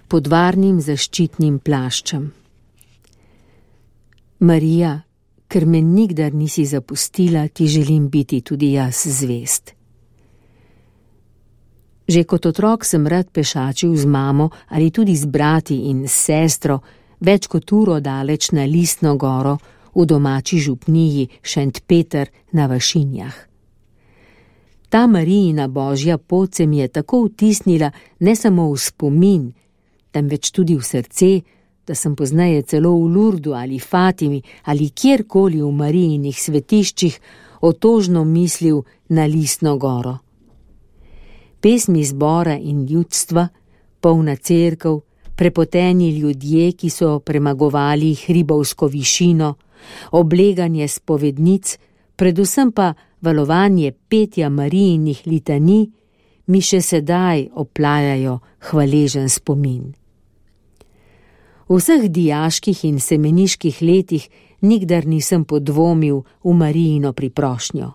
pod varnim zaščitnim plaščem. Marija, ker me nikdar nisi zapustila, ti želim biti tudi jaz zvest. Že kot otrok sem rad pešačil z mamo ali tudi z brati in s sestro več kot uro daleč na Listno goro v domači župniji Šentpeter na Vašinjah. Ta Marijina božja pot se mi je tako vtisnila ne samo v spomin, temveč tudi v srce, da sem pozneje celo v Lurdu ali Fatimi ali kjerkoli v Marijinih svetiščih otožno mislil na Listno goro. Pesmi zbora in ljudstva, polna cerkev, prepoteni ljudje, ki so premagovali hribovsko višino, obleganje spovednic, predvsem pa valovanje petja Marijinih litanij, mi še sedaj oplajajo hvaležen spomin. V vseh dijaških in semeniških letih nikdar nisem podvomil v Marijino priprošnjo.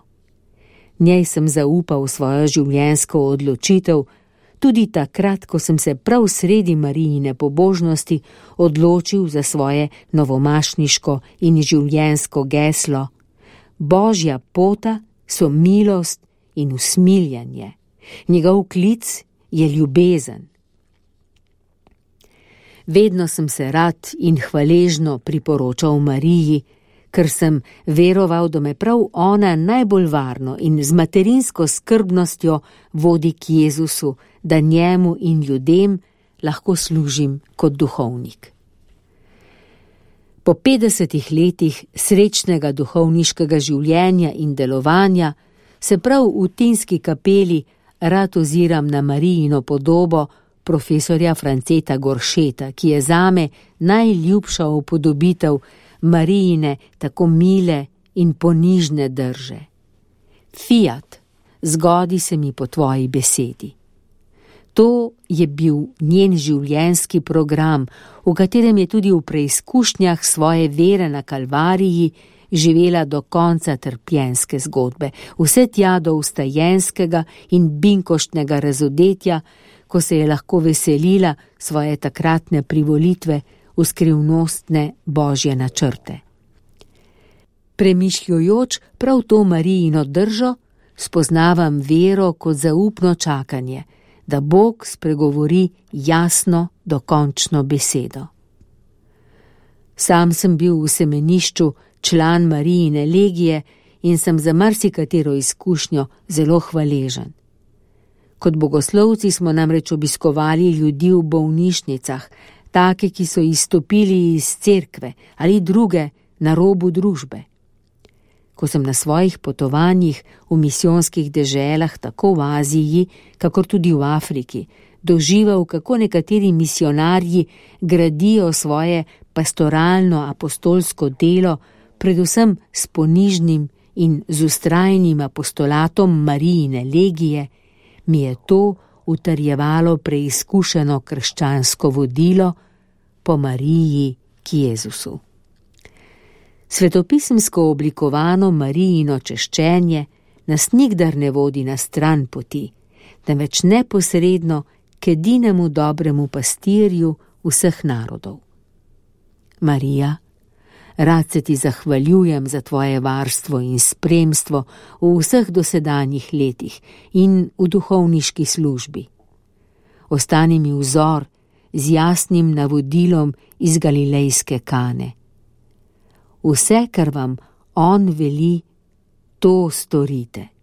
Njej sem zaupal svojo življenjsko odločitev, tudi takrat, ko sem se prav sredi Marijine pobožnosti odločil za svoje novomašniško in življenjsko geslo: Božja pota so milost in usmiljanje. Njegov klic je ljubezen. Vedno sem se rad in hvaležno priporočal Mariji, ker sem veroval, da me prav ona najbolj varno in z materinsko skrbnostjo vodi k Jezusu, da njemu in ljudem lahko služim kot duhovnik. Po 50 letih srečnega duhovniškega življenja in delovanja se prav v Tinski kapeli rad oziram na Marijino podobo profesorja Franceta Goršeta, ki je zame najljubša upodobitev Marijine tako mile in ponižne drže. Fiat, zgodi se mi po tvoji besedi. To je bil njen življenjski program, v katerem je tudi v preizkušnjah svoje vere na Kalvariji živela do konca trpljenske zgodbe, vse tja do vstajenskega in binkoštnega razodetja, ko se je lahko veselila svoje takratne privolitve v skrivnostne božje načrte. Premišljujoč prav to Marijino držo, spoznavam vero kot zaupno čakanje, da Bog spregovori jasno, dokončno besedo. Sam sem bil v semenišču član Marijine legije in sem za marsikatero izkušnjo zelo hvaležen. Kot bogoslovci smo namreč obiskovali ljudi v bolnišnicah, take, ki so izstopili iz cerkve ali druge na robu družbe. Ko sem na svojih potovanjih v misijonskih deželah, tako v Aziji, kakor tudi v Afriki, doživel, kako nekateri misionarji gradijo svoje pastoralno-apostolsko delo, predvsem s ponižnim in z vztrajnim apostolatom Marijine legije, mi je to utrjevalo preizkušeno krščansko vodilo po Mariji k Jezusu. Svetopisemsko oblikovano Marijino češčenje nas nikdar ne vodi na stran poti, temveč neposredno k edinemu dobremu pastirju vseh narodov. Marija, rad se ti zahvaljujem za tvoje varstvo in spremstvo v vseh dosedanjih letih in v duhovniški službi. Ostani mi vzor z jasnim navodilom iz galilejske Kane. Vse, kar vam on veli, to storite.